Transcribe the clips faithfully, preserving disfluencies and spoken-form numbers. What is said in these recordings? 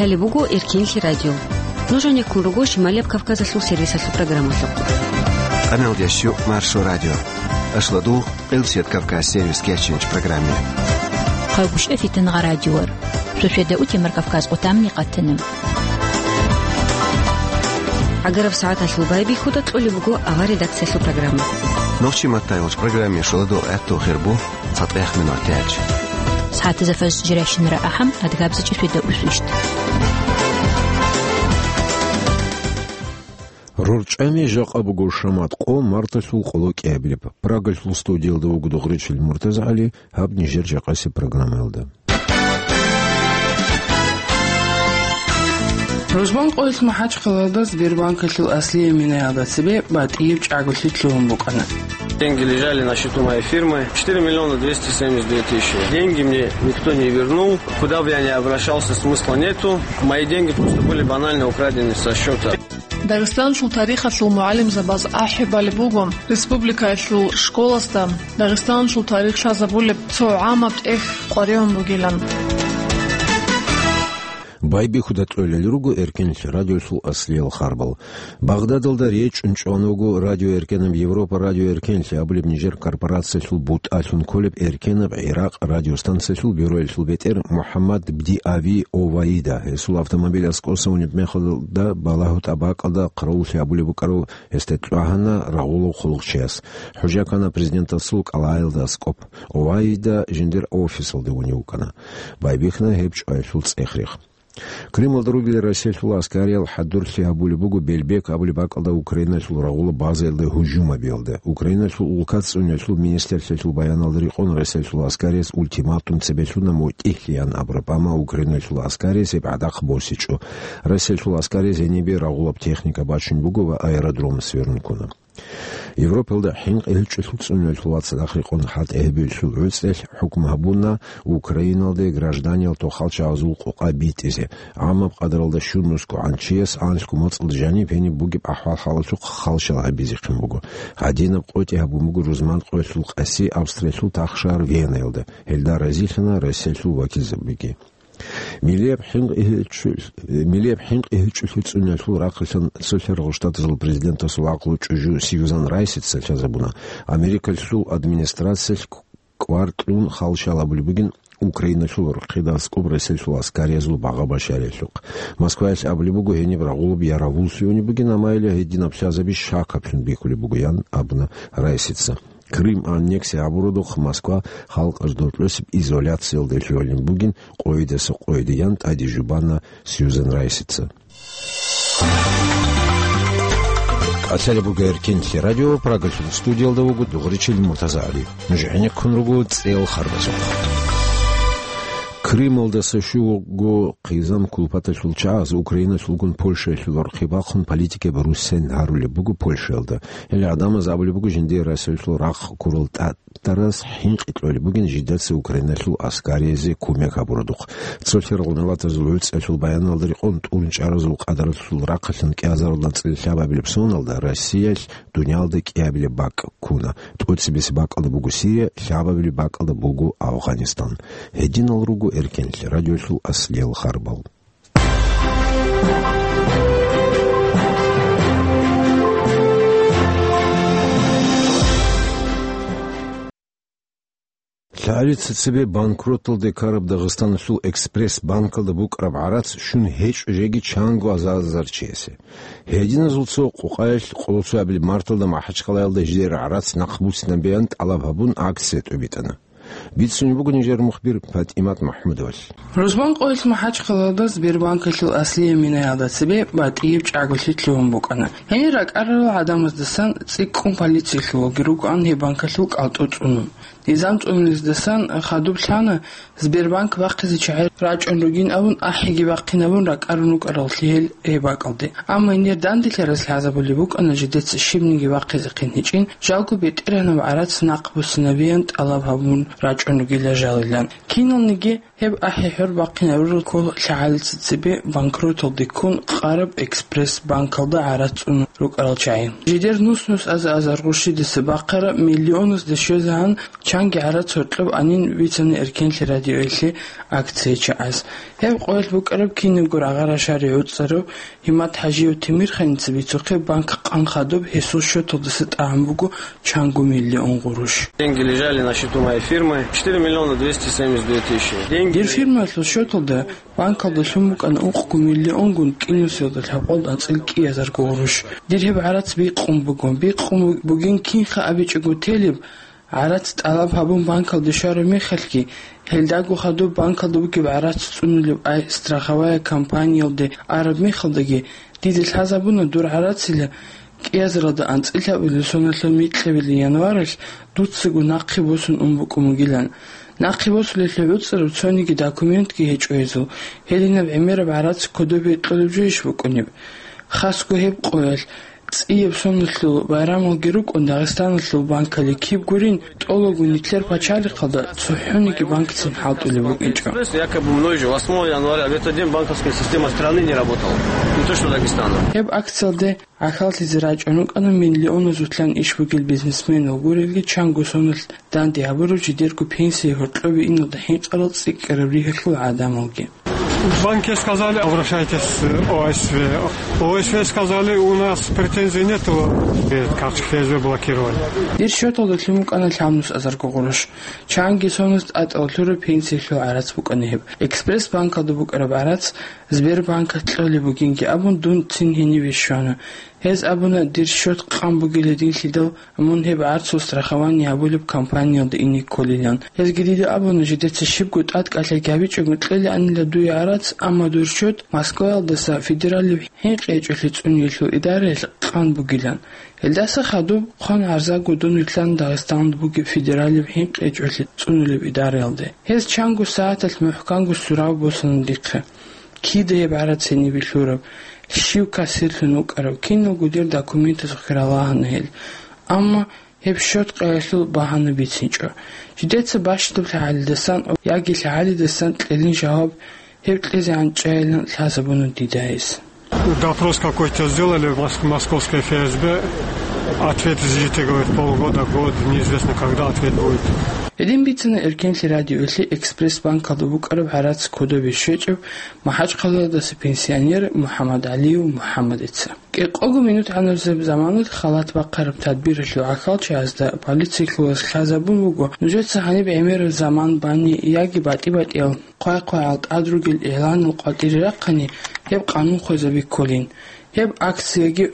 Гьале буго Эркенлъи радио. Нуж гӀенеккун руго Шималияб Кавказалъул сервисалъул программалъухъ. Къаналдеш Маршо радио. Ашладу Къилсият Кавказ сервис кечинч программе. Хъагушев Фитангъа радиор. Суседа утемар Кавказ къутамни къатана. ГӀагараб сагӀаталъул байбихьуда кьолеб буго авар редакциялъул программа. Нохчи маттайолч программе шоладо гӀатту хирбу. ЦатӀех минутач. СагӀатазда фаз жирайщинара ахӀам, адгабзачӀи светда усвищт. РорчӀами жакъа буго шамат къо марталъул къоло кӀиабилеб. Прагалъул студиялда вуго Дугъричил МуртазагӀали, гьаб нижер жакъасеб программаялда. Рузман къоялъ МахӀачхъалаялда Сбербанкалъул аслияб минаялда цебе батӀияб чӀаголъи лъугьун букӀана. Деньги лежали на счету моей фирмы. Четыре миллиона двести семьдесят две тысячи. Деньги мне никто не вернул. Куда бы я ни обращался, смысла нету. Мои деньги просто были банально украдены со счета. Дагъистаналъул тарихалъул мугӀалимзабаз ахӀи балеб буго, республикаялъул школасда Дагъистаналъул тарих лъазабулеб цо гӀамаб тӀехь къваригӀун бугилан. Байбихьуда кьолел руго Эркенлъи радиолъул аслиял харбал. Багъдадалда речӀчӀун чӀван вуго Радио Эркенаб Европа, Радио Эркенлъи абулеб нижер корпорациялъул бутӀалъун кколеб Эркенаб ГӀиракъ радиостанциялъул бюроялъул бетӀер МухӀаммад Бдиави Оваида. Гьесул автомобиль аскӀоса унеб мехалда балагьу тӀабакъалда хъаравуллъи гьабулеб букӀарав гьесда кьвагьана рагъулав хъулухъчияс. ХӀужа ккана президентасул кӀалгӀаялда аскӀоб. Оваида жиндир офисалде унев вукӀана. Байбихьана гьеб чӀваялъул цӀех-рех. Крымалда ругел Россиялъул аскариял хӀадурлъи гьабулеб буго Белбек абулеб бакӀалда Украиналъул рагъула базаялда гьужум гьабиялда. Украиналъул улкат цӀуниялъул министрлъиялъул баяналда рекъон Россиялъул аскарияс ультиматум цебе лъуна мутӀигьлъи ян абураб, амма Украиналъул аскарияс гьеб гӀадахъ босичӀо. Россиялъул аскарияс гьенибе рагъулаб техника бачун буго ва аэродром сверун ккуна. Европалда хӀинкъи гьечӀолъул цӀуниялъул вацадахъ рекъон хӀалтӀи гьабиялъул гӀуцӀелъ хӀукму гьабуна Украиналде гражданиял тохал чагӀазул къокъа битӀизе. ГӀамаб къадаралда щун нусгогӀан чияс анлъго моцӀалда жаниб гьениб бугеб ахӀвал-хӀалалъухъ халщал гьабизехъин буго. Гьадинаб къотӀи гьабун буго рузман къоялъул къаси Австриялъул тахшагьар Венаялда. Гьелда разилъана Россиялъул вакилзабиги. Милияб хӀинкъи гьечӀо-, милияб хӀинкъи гьечӀолъи цӀуниялъул рахъалъан Цолъаргъул Штатазул президентасул гӀакълу чӀужу Сьюзан Райсица лъазабуна, Америкалъул администрациялъ кӀвар кьун халщал абулеб бугин Украиналъул рохъида аскӀоб Россиялъул аскариязул багъа-башариялъухъ. Москваялъ абулеб буго гьениб рагъулаб яравуллъи унеб бугин, амма гьединаб лъазаби щакаблъун бихьулеб буго, ян абуна Райсица. Крым аннексия гьабуродухъ Москва халкъалъ доркьосеб изоляциялде лъугьунеб бугин къойидаса къойиде, ян тӀаде жубана Сьюзан Райсица. КӀалъалеб буго Эркенлъи радио, Прагалъул студиялда вуго Дугъричил МуртазагӀали. Нуж гӀенеккун руго цӀел харбазухъ. Крымалдаса щуго хъизан кулпаталъул чагӀаз Украиналъулгун Польшаялъул рорхъи бахъун политикаби руссен гьарулеб буго Польшаялда. Гьел гӀадамаз абулеб буго жиндие Россиялъул рахъ ккурал тӀатараз хӀинкъи кьолеб бугин жидаца Украиналъул аскариязде кумек гьабуродухъ. Цолъарал миллатазул гӀуцӀиялъул баяналда рекъон тӀурун чӀаразул къадаралъул рахъалъан кӀиазаралда анцӀила лъабабилеб соналда Россиялъ дуниялда кӀиабилеб бакӀ ккуна. ТӀоцебесеб бакӀалда буго Сирия, лъабабилеб бакӀалда буго Афганистан. Гьединал руго Эркенлъи радиолъул аслиял харбал. ЛъагӀалица цебе банкроталде ккараб Дагъистаналъул Экспресс банкалда букӀараб гӀарац щун гьечӀо жеги чанго азар-азар чиясе. Гьединазул цо къукъаялъ къоло цоябилеб марталда МахӀачхъалаялда жидер гӀарац нахъбуссинабеян тӀалаб гьабун акция тӀобитӀана. Бицунеб буго нижер мухбир ПатӀимат МахӀмудовалъ. Рузман къоялъ МахӀачхъалаялда Сбербанкалъул аслияб минаялда цебе батӀияб чӀаголъи лъугьун букӀана. Гьенир ракӀарарал гӀадамаздасан цӀикӀкӀун полициялъул ваги рукӀан гьеб банкалъул кӀалтӀу цӀунун. Низам цӀунулездасан хадуб лъана, Сбербанк бахъизе чагӀи рачӀун ругин абун, ахӀиги бахъинабун ракӀарун рукӀараллъи гьел гьеб бакӀалде. Амма гьенир данделъарас лъазабулеб букӀана жидеца щибниги бахъизехъин гьечӀин, жалго БетӀергьанаб гӀарац нахъбуссинабеян тӀалаб гьабун рачӀун ругила жалилан. Киналниги гьеб ахӀи-хӀур бахъинарурал ккола лъагӀалица цебе банкроталде ккун къараб Экспресс банкалда гӀарац цӀунун рукӀарал чагӀи. Жидер нус-нус аза-азар гъурщидаса бахъараб миллионазде щвезегӀан чанги гӀарац гьоркьоб анин бицана Эркенлъи радиоялъе акция чагӀаз. Гьеб къоялъ букӀараб кинабго рагъа-рашари гӀуцӀарав ГьиматхӀажиев Темирханица бицухъе банк къан хадуб гьесул счеталдаса тӀагӀун буго чанго миллион гъурущ. Деньги лежали на счету моей фирмы. Четыре миллиона двести семьдесят две тысячи. Деньги. Дир фирмаялъул счеталда банкалда лъун букӀана ункъго миллионгун кӀинусиялда лъабкъоялда анцӀил кӀиазарго гъурущ. Дир гьеб гӀарац бикъун буго. Бикъун бугин кинха абичӀого телеб, гӀарац тӀалаб гьабун банкалде щвараб мехалъги, гьелдаго хадуб банкалда бугеб гӀарац цӀунулеб ай страховая компаниялде араб мехалдаги, дида лъазабуна дур гӀарацила кӀиазаралда анцӀила соналъул микьабилеб январалъ дуцаго нахъе босун ун букӀун бугилан. Нахъе босулелъул гӀуцӀараб цониги документги гьечӀо гьезул. Гьединаб гӀемераб гӀарац кодобе кьолеб жойищ букӀунеб? Хасго гьеб къоялъ, цӀияб соналъул байрамалги рукӀун, Дагъистаналъул банкали киб гурин, тӀолабго нилъер пачалихъалда цохӀониги банкцин хӀалтӀулеб букӀинчӀо. Якобы мной же восьмого января в этот день банковская система страны не работала. Не то что Дагестана. Гьеб акциялде гӀахьаллъизе рачӀун рукӀана миллионазулъан иш бугел бизнесменал гурелги чанго соналъ данде гьабурав жидерго пенсияе гьоркьобе иналда хӀинкъарал цӀикӀкӀараб ригьалъул гӀадамалги. В банке сказали: «Обращайтесь в О С В». О С В сказали: «У нас претензий нету». Э, карточка Ф С Б блокировали. Дир счеталда лъун букӀана лъабнус азарго гъурущ. Чанги соналъ тӀатӀал лъураб пенсиялъул гӀарац букӀана гьеб. Экспресс-банкалда букӀараб гӀарац Сбербанкалъ кьолеб бугинги абун, дун цин гьенибе щвана. Гьез абуна, дир счет къан бугила динлъидал, мун гьеб гӀарцул страхование гьабулеб компаниялда ине кколилан. Гьезги дида абуна, жидеца щибго тӀадкӀалъи гьабичӀого кьелаанила дуе гӀарац, амма дур счет Москваялдаса федералияб хӀинкъи гьечӀолъи цӀуниялъул идараялъ къан бугилан. Гьелдаса хадуб хъван гӀарзаго дун вилълъана Дагъистаналда бугеб федералияб хӀинкъи гьечӀолъи цӀунулеб идараялде. Гьез чанго сагӀаталъ мухӀканго сурав босана дихъе. Кида гьеб гӀарац гьенибе лъураб, щив кассирлъун вукӀарав, киналго дир документазухъе ралагьана гьел. Амма гьеб счет къаялъул багьана бицинчӀо. Жидеца бащдаб лъагӀалидасан яги лъагӀалидасан кьелин жаваб гьеб кьезегӀан чӀайилан лъазабуна дида гьес. Допрос какой-то сделали в мос-, московской Ф С Б. Ответ ждите, говорит, полгода, год, неизвестно, когда ответ будет. Гьедин бицана Эркенлъи радиоялъе Экспресс-банкалда букӀараб гӀарац кодобе щвечӀеб МахӀачхъалаялдаса пенсионер МухӀаммадгӀалиев МухӀаммадица. КӀикъого минут гӀанаб заманалъ халат бахъараб тадбиралъул гӀахьалчагӀазда полициялъулас лъазабун буго, нужеца гьаниб гӀемераб заман бани яги батӀи-батӀиял хъвай-хъвайгӀал тӀад ругел игӀланал къватӀире рахъани, гьеб къанун хвезаби кколин. Гьеб акцияги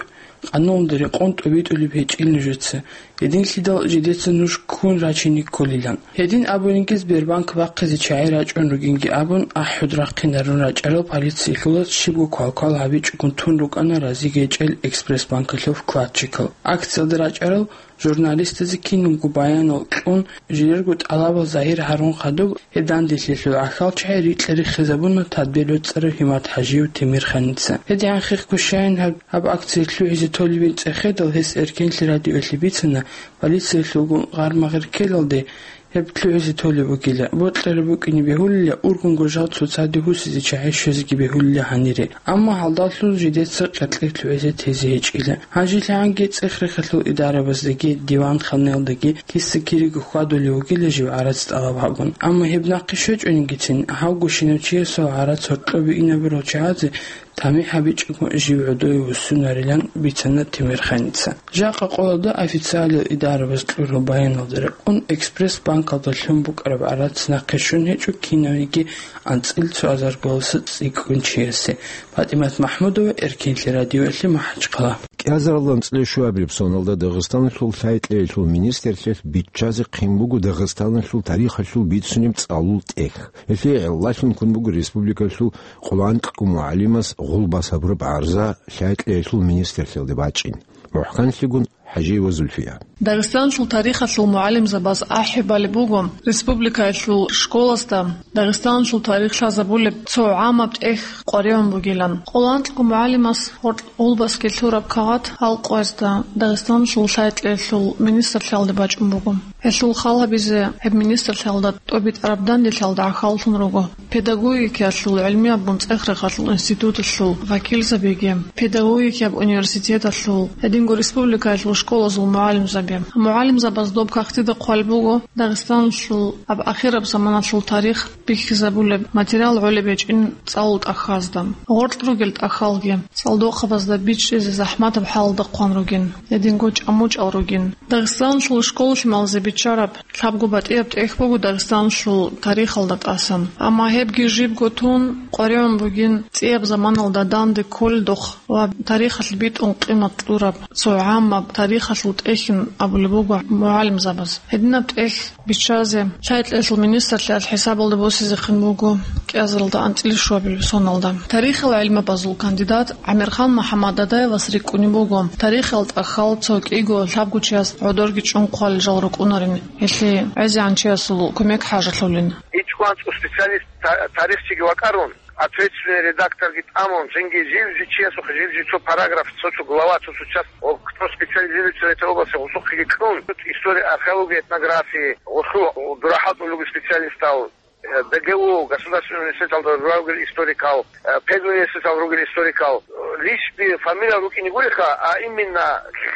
къануналда рекъон тӀобитӀулеб гьечӀил нужеца, гьединлъидал жидеца нуж ккун рачине кколилан. Гьедин абунинги, Сбербанк бахъизе чагӀи рачӀун ругинги абун, ахӀуд рахъинарун рачӀарал полициялъулас щибго квалквал гьабичӀогун тун рукӀана разиги гьечӀел Экспресс-банкалъул вкладчикал. Акциялда рачӀарал журналистазе кинабго баянал кьун, жидерго тӀалабал загьир гьарун хадуб, гьеб данделъиялъул гӀахьалчагӀи рикьа-риххизабуна тадбир бецӀарав ГьиматхӀажиев Темирханица. ГьедигӀан хихго щайин гьаб, гьаб акция лъугӀизе толебин цӀехедал, гьес Эркенлъи радиоялъе бицана, полициялъулгун гъармагъер ккелалде гьеб лъугӀизе толеб бугила, бокьараб букӀине бегьулила, ургъунго жал цоцаде гьусизе чагӀи щвезеги бегьулила гьанире. Амма гьалдалъун жидеца къеркьер лъугӀизе тезе гьечӀила. ГьанжелъагӀанги цӀех-рехалъул идарабаздаги диван-ханаялдаги киса-кириго хьвадулев вугила жив гӀарац тӀалаб гьабун. Амма гьеб нахъе щвечӀонингицин, гьавго щинав чиясул гӀарац гьоркьобе инабурал чагӀазе тамихӀ гьабичӀого жив гӀодове вуссунарилан бицана Темирханица. Жакъа къоялда официалиял идарабаз кьурал баяналда рекъон, Экспресс-банкалда лъун букӀараб гӀарац нахъе щун гьечӀо кинавниги анцӀил цо азар гваласа цӀикӀкӀун чиясе. ПатӀимат МахӀмудова, Эркенлъи радиоялъе, МахӀачхъала. КӀиазаралда анцӀила щуабилеб соналда Дагъистаналъул лъай-кьеялъул министрлъиялъ биччазе хъин буго Дагъистаналъул тарихалъул бицунеб цӀалул тӀехь. Гьелъие гӀелалъун ккун буго республикалъул къоло анкьго мугӀалимас гъулбас гьабураб гӀарза лъай-кьеялъул министрлъиялде бачӀин. МухӀканлъигун ХӀажиева Зульфия. Дагъистаналъул тарихалъул мугӀалимзабаз ахӀи балеб буго, республикаялъул школасда Дагъистаналъул тарих лъазабулеб цо гӀамаб тӀехь къваригӀун бугилан. Къоло анкьго мугӀалимас гъоркь гъулбасги лъураб кагъат гьал къоязда Дагъистаналъул лъай-кьеялъул министрлъиялде бачӀун буго. Гьелъул хал гьабизе гьеб министрлъиялда тӀобитӀараб данделъиялда гӀахьаллъун руго. Педагогикаялъул гӀилмияб бунцӀех-рахъалъул институталъул вакилзабиги, педагогикаяб университеталъул, гьединго республикаялъул школазул мугӀалимзаби. МугӀалимзабаз доб кагътида хъвалеб буго Дагъистаналъул гьаб ахираб заманалъул тарих бихьизабулеб материал гӀолеб гьечӀин цӀалул тӀахьазда. Гъоркь ругел тӀахьалги цӀалдохъабазда бичӀчӀизе захӀматаб хӀалалда хъван ругин, гьединго чӀамучӀал ругин. Дагъистаналъул школа-лъималазе биччараб лъабго батӀияб тӀехь буго Дагъистаналъул тарихалда тӀасан. Амма гьебги жибго тун къваригӀун бугин цӀияб заманалда данде кколелдухъ ва тарихалъ битӀун къимат кьураб цо гӀаммаб тарихалъул тӀехьин абулеб буго мугӀалимзабаз. Гьединаб тӀехь биччазе лъай-кьелъул министрлъиялъ хӀисабалда босизехъин буго кӀиазаралда анцӀила щуабилеб соналда. Тарихил гӀилмабазул кандидат ГӀамирхан МухӀаммад Дадаевас рикӀкӀунеб буго, тарихал тӀахьал цо кӀиго лъабгочияс гӀодорги чӀун хъвалел жал рукӀунарин, гьелъие гӀезегӀанчиясул кумек хӀажалъулин. ИчӀго анцӀго специалист, та-, тарихчиги вакӀарун, ответственный редакторги тӀамун, цинги жив-жив чиясухъе жив-жив цо параграф, цо-цо глава, цо-цо часть, о, кто специализируется в этой области, гъусухъеги кьун, история, археология, этнография, гъусу дурахӀал тӀулуги специалистал, э, Д Г У, государственный университеталда ругел историкал, э, педуниверситетал ругел историкал, э, лишь би фамилиял рукӀине гуриха, а именно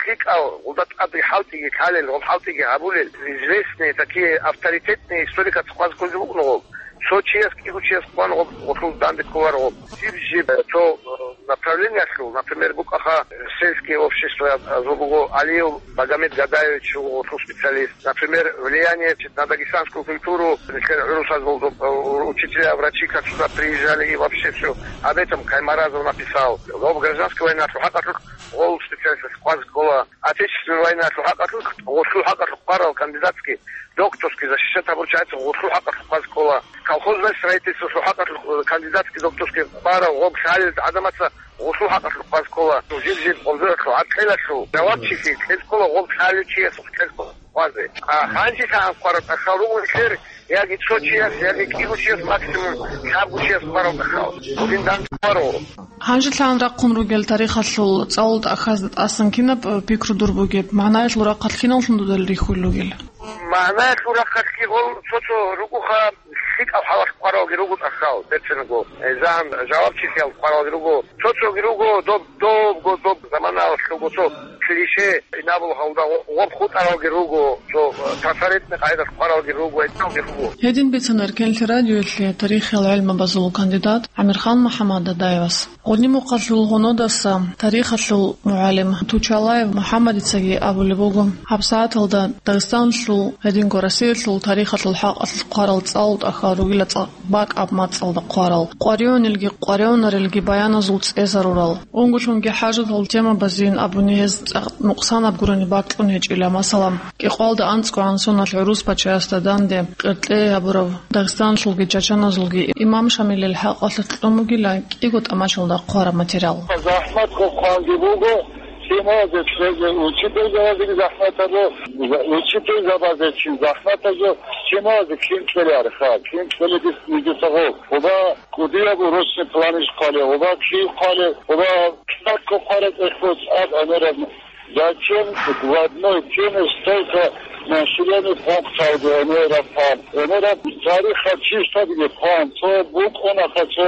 лъикӀал гъулда тӀаде хӀалтӀиги лъалел, гъоб хӀалтӀиги гьабулел, известные, такие авторитетные историкаца хъваз кколги букӀун гъоб. Цо чияс, кӀиго чияс хъван гъоб, гъолъул данде кколар гъоб. Жиб-жиб цо, э, направлениялъул, например, букӀаха сельские общества, э, буго Алиев Багамед Гадаевич, гъолъул специалист. Например, влияние на дагестанскую культуру, нилъер гӀурусазул, э, учителя, врачи, как сюда приезжали и вообще всё. Об этом Каймаразов написал. Гъоб гражданская война, гьакъалъулъ гъол специалист хъваз ккола. Отечественная война, гьакъалъулъ, гъолъул хӀакъалъулъ хъварал кандидатский, докторский защищать гьабурчияца гъолъул хӀакъалъулъ хъваз ккола. Колхозное строительство, гьакъалъулъ кандидатский, докторский хъварал гъоб лъалел гӀадамаца гъолъул хӀакъалъулъ хъваз ккола. Жиб-жиб гъолдуралъул гӀаркьелалъул жавабчилъи кьез ккола гъоб лъалев чиясухъ кьез ккола хъвазе. А гьанжелъагӀан хъвараб тӀахьал руго нилъер, яги цо чияс, яги кӀиго чияс, максимум лъабго чияс хъварал тӀахьал. Гьедин данде хъваро. ГьанжелъагӀан рахъун ругел тарихалъул цӀалул тӀахьазда тӀасан кинаб, э, пикру дур бугеб? МагӀнаялъул рахъалъ кинавлъун дуда рихьулел ругел? МагӀнаялъул рахъалъги гъол цо-цо ругоха, лъикӀал хӀалалъ хъваралги руго тӀахьал, берцинго. Э, загьан жавабчилъиялъ хъваралги руго. Цо-цоги руго, доб, добго, доб заманалъ руго, цо клише, инабул гьалда гъо-, гъоб хутӀаралги руго, цо, э, трафаретный къайдалъ хъваралги руго, гьединги руго. Гьедин бицана Эркенлъи радиоялъе тарихиял гӀелмабазул кандидат ГӀамирхан МухӀаммад Дадаевас. Гъодинмухъалъул гьунодаса тарихалъул мугӀалим Тучалаев МухӀаммадицаги абулеб буго, гьабсагӀаталда Дагъистаналъул, гьединго Россиялъул тарихалъул хӀакъалъулъ хъварал цӀалул тӀахьал ругила цӀакъ бакӀаб мацӀалда хъварал, къваригӀунелги къваригӀунарелги баяназул цӀезарурал, унго-лъунги хӀажатал темабазейин абуни гьез цӀакъ нукъсанаб гурони бакьун гьечӀила, масала, кӀикъоялда анцӀгогӀан соналъ гӀурус пачаясда данде къеркьей гьабурав Дагъистаналъулги чачаназулги имам Шамилил хӀакъалъулъ кьун бугила кӀиго тӀамачалда хъвараб материал. ЗахӀмат хъванги буго, лъималазе лъезе учительзабазеги захӀмат гьабо, учительзабазе чи захӀмат гьабо, лъималазе кин кьеларха, кин кьеледис нигиса гъо. Оба кӀудияб урусни планиш хъвале, оба кив хъвале, оба кьакко хъвале тӀехьуц аб гӀемераб. Зачем в одной теме столько населенных пунктов гӀемераб хъван? ГӀемераб тарихал чистабиги хъван, цо букӀунаха, цо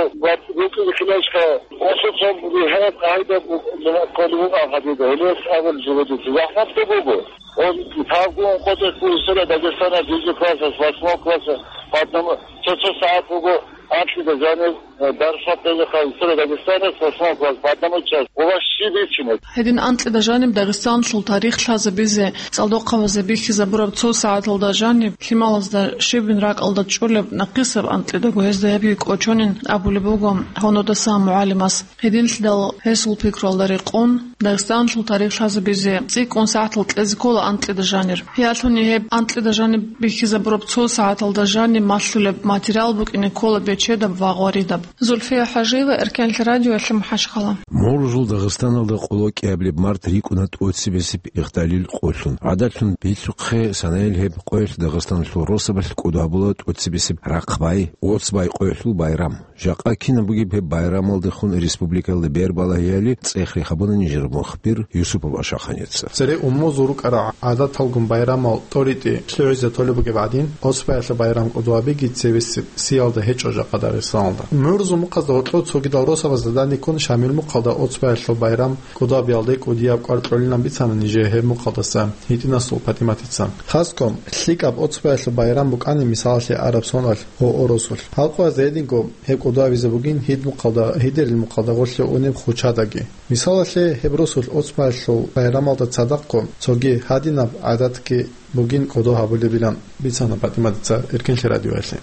букӀине хиласка, осо цо бигьа къагӀида бу-, бу-, кколеб бугӀан гьабида, гьелес абул живедица. ЗахӀматго буго. Он тавгун къотӀе ккун сера Дагестана дижи классас, восьмой классас, по одному, цо-цо сагӀат буго, анкьида жанир, э, дарсат бегиха сера Дагестана, восьмой класс, по одному час. У вас щиб ичинаб? Гьедин анкьида жаниб Дагъистанлъул тарих лъазабизе цӀалдохъабазе бихьизабураб цо сагӀаталда жаниб, лъималазда щибин ракӀалда чӀолеб нахъисаб анкьидаго гьезда гьебги кӀочонин абулеб буго гьунодасан мугӀалимас. Гьединлъидал гьесул пикруялда рекъон, Дагъистанлъул тарих лъазабизе цӀикӀкӀун сагӀатал кьезе ккола анкьида жанир. Гьелъуни гьеб анкьида жаниб бихьизабураб цо сагӀаталда жаниб малъулеб материал букӀине ккола бечедаб ва гъваридаб. Зульфия ХӀажиева, Эркенлъи радиоялъе МухӀажгьала. Муржул Дагъистаналда къоло кӀиабилеб март рикӀкӀуна тӀоцебесеб Ихталил къолъун. ГӀадатлъун бицухъе санаялъ гьеб къоялъ Дагъистаналъул росабалъ кӀодо гьабула тӀоцебесеб Рахъбай, Оцбай къоялъул байрам. Жакъа кинаб бугеб гьеб байрамалдехун республикаялда бер балагьиялъе цӀех рехабуна нижер мухбир Юсупов Ашаханица. Цере умумузул рукӀарал гӀадаталгун байрамал тӀоритӀи лъугӀизе толеб бугеб гӀадин, Оцбаялъул байрам кӀодо гьабиги цебесеб сиялда гьечӀо жакъа Дагъистаналда. ГӀумрузул мухъазда гъоркьо цогидал росабазда даниккун Шамил мухъалда Оцбаялъул байрам кӀодо гьабиялде кӀудияб кӀвар кьолилан бицана нижее гьеб мухъалдаса ГьитӀинасул ПатӀиматица. Хаском, лъикӀаб Оцбаялъул байрам букӀани мисалалъе араб соналъ гъо росулъ. Халкъ ваз гьединго гьеб кӀодо гьабизе бугин гьид мухъалда, гьидерил мухъалда гъорлъе унеб хучадаги. Мисалалъе, гьеб росулъ Оцбаялъул байрамалда цадахъго цоги гьадинаб гӀадатги бугин кӀодо гьабулебилан бицана ПатӀиматица Эркенлъи радиоялъе.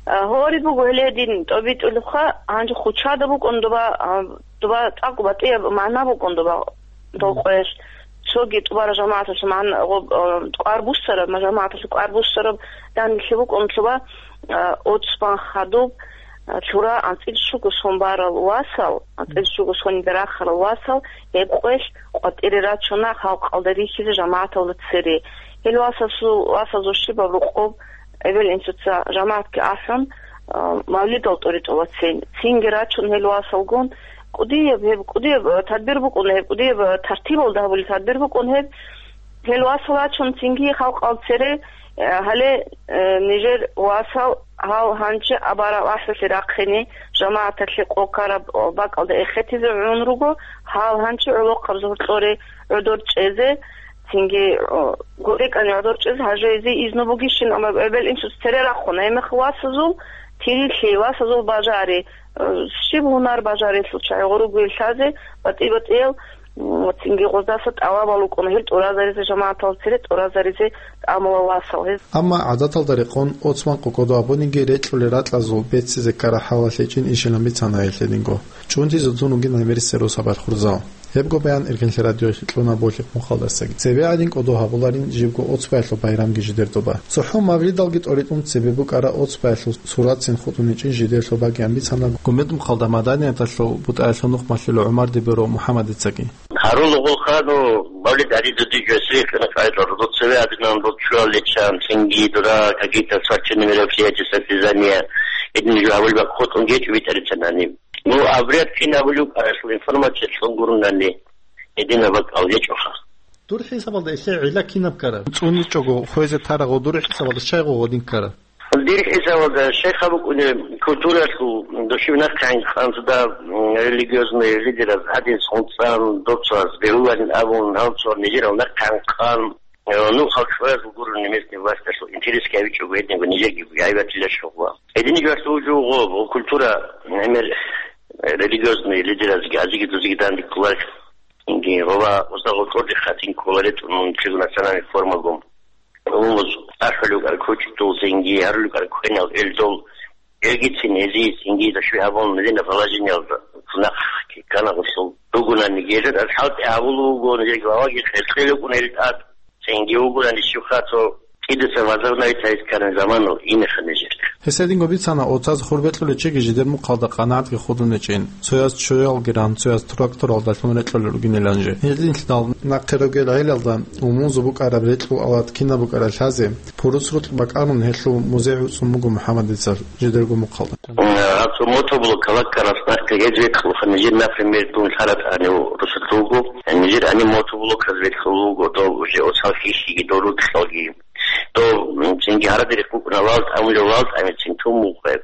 А, гьори буго гьеле дин тӀобитӀулебха, гьанже хучада букӀун доба, а, доба цӀакъ батӀияб магӀна букӀун доба дол къоялъ. Цоги тӀубараб жамагӀаталъул магӀна, гъоб-, а, кӀвар буссараб, ма-, жамагӀаталъул кӀвар буссараб данделъи букӀун лъуба, а, Оцбан хадуб, а, лъура анцӀил щуго сон барал васал, анцӀил щуго сонида рахарал васал, гьеб къоялъ къватӀире рачуна халкъалда рихьизе жамагӀаталда цере. Гьел васасул, васазул щибаб рукъоб эбел-инсуца жамагӀатги ахӀун, а, мавлидал тӀоритӀулацин. Цинги рачун гьел васалгун, кӀудияб, гьеб кӀудияб, а, тадбир букӀун, гьеб кӀудияб, а, тартибалда гьабулеб тадбир букӀун гьеб. Гьел васал рачун цинги халкъал цере, а, гьале, а, нижер васал гьал гьанчи абараб ахӀулъи рахъине, жамагӀаталъе къо ккараб бакӀалда эхетизе гӀун руго, гьал гьанчи гӀолохъаб зугьурлъоре гӀодор чӀезе, цинги, о, гурекӀани гӀодор чӀез гьажезе изну бугищин, амма эбел-инсуц цере рахъун, гьебмехалъ васазул тирилъи, васазул бажари, э, щиб гьунар бажарилъул чагӀи гъуругуе лъазе, батӀи-батӀиял, м, цинги гъоздаса тӀалабал рукӀуна гьел тӀуразаризе, жамагӀатал цере тӀуразаризе тӀамула васал гьез. Амма гӀадаталда рекъон Оцбан къо кӀодо абуниги рекьулел ракьазул беццизе ккараб хӀалалъ гьечӀин ишилан бицана гьелъ гьединго. ЧӀунтизе тун вугин гӀемерисел росабалъ хурзал. Гьебго баян Эркенлъи радиоялъе кьуна Болъихъ мухъалдасаги. Цебе гӀадин кӀодо гьабуларин жибго Оцбаялъул байрамги жидер доба. ЦохӀо мавлидалги тӀоритӀун цебе букӀараб Оцбаялъул суратцин хутӀун гьечӀин жидер лъобагиян бицана Гумед мухъалда маданияталъул бутӀаялъул нухмалъулев ГӀумар Дибиров МухӀаммадицаги. Гьарулгъулха, ну, мавлид гьаризе дижо сихъ, ну, къайдал, ну, цеве гьадинан, ну, чуял личан, цинги дура, какие-то спортивные мероприятия, состязания, эдин жо гьавулб хутӀун гьечӀо витӀарицанани. Ну, обряд кин гьабулев, аслу информация лъун гурунани, эдина бакӀал гьечӀоха. Дур хӀисабалда гьелъе гӀилла кинаб ккара? ЦӀуничӀого хвезе тарагъо дур хӀисабалда щайгъо гъодин ккара? Дир хӀисабалда, шайх абукӀуни культуралъул душевнахъ гӀинкъанзда, м, религиозный лидераз гьадин цӀунцӀан, доцаз бегьуларин абун, гьалцо нижерал нахъ гӀинкъан, э, ну, халкъ шваязул гурони местный власталъул интересги гьавичӀого гьединго нижерги гӀайбатила щугъла. Гьедин жугьалъ вугьу гъо, гъо культура, гӀемер, э, религиозный лидеразги азиги дузиги данде кколарищ. Инги, гъоба, устагъул кьурдихъа тин ккола ретӀун мун чигу национальный формагун. Умумуз ахӀулев кӀар кучӀдул цинги, гьарулев кӀар квенал элдул, элгицин гьезие цинги дашви гьабун, медина положениялда цунахъ ккана гъусул ругунани гьезда, аз хӀалтӀи гьабулев вуго, нижер главаги хӀеркьел рукӀун гьел тӀад, цинги вугунани щивха цо кӀидаса возобновить гьайс ккаран заманал инеха нижер. Гьес гьединго бицана, оцаз хур бекьулев чиги жидер мухъалда къанагӀатги худун гьечӀин, цояз чоялги ран, цояз тракторалдалъун рекьулел ругинилан же. Гьединлъидал нахъе ругел гӀелалда умумузул букӀараб рекьул алат кинаб букӀарал лъазе, пурус рукь бакӀарун гьелъул музей гӀуцӀун буго МухӀаммадицал жидерго мухъалда. Гьаб цо мотоблок калаккарас нахъе гьез векьулха нижер, например, дун лъаратани русулъулго, нижер ани мотоблоказ векьулго, дов уже оцал хищиги, дов рукьалги. Дов, м, цинги гьарадерихъ букӀуна вал тӀамулев вал тӀамицин тун мухъе.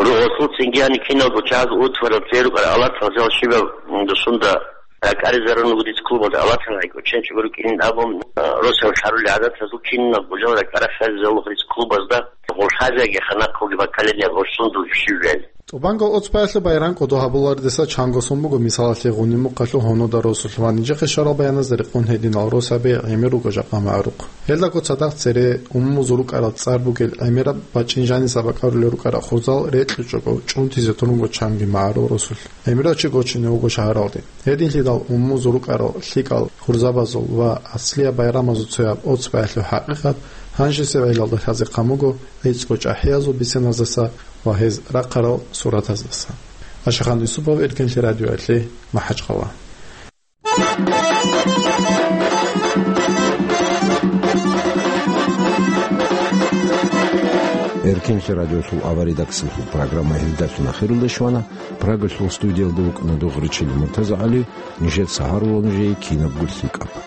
Ругъалъул цинги гьани киналго чагӀаз утварал церукӀар алатал зал щибаб, м, дусунда ракӀаризарун вуго дица клубалда алатал гӀайкӀо ченчӀого рукӀинин абун, а, росал лъарули гӀадатазул киналго жал ракӀарахъари залухъ дица клубазда гъолъазеги ханахъуги баккалин я гъолъун дужущиввел. ТӀубанго Оцбаялъул байрам кӀодо гьабуларедаса чанго сон буго, мисалалъе, Гъуниб мухъалъул гьунуда росулъ ва нижехъе щварал баяназда рекъон гьединал росаби гӀемер руго жакъа магӀарухъ. Гьелдаго цадахъ цере умумузул рукӀарал цӀар бугел гӀемераб бачӀин жаниса бакӀарулел рукӀарал хурзал рекьичӀого чӀунтизе турунго чанги магӀарул росулъ. ГӀемерав чи гочине вуго шагьаралде. Гьединлъидал умумузул рукӀарал лъикӀал хурзабазул ва аслияб байрамазул цояб Оцбаялъул хӀакъикъат гьанжесеб гӀелалда лъазе хъан буго гӀицӀго чӀахӀиязул бисеназдаса ва гьез рахъарал суратаздаса. Ашахан Юсупов, Эркенлъи радиоялъе, МахӀачхъала. Эркенлъи радиосул аваридаксалъул программа гьелдалъун ахирулде щвана. Прагалъул студиялда вукӀана Дугъричил МуртазагӀали. Нижеца гьарула нужее кинабго лъикӀаб.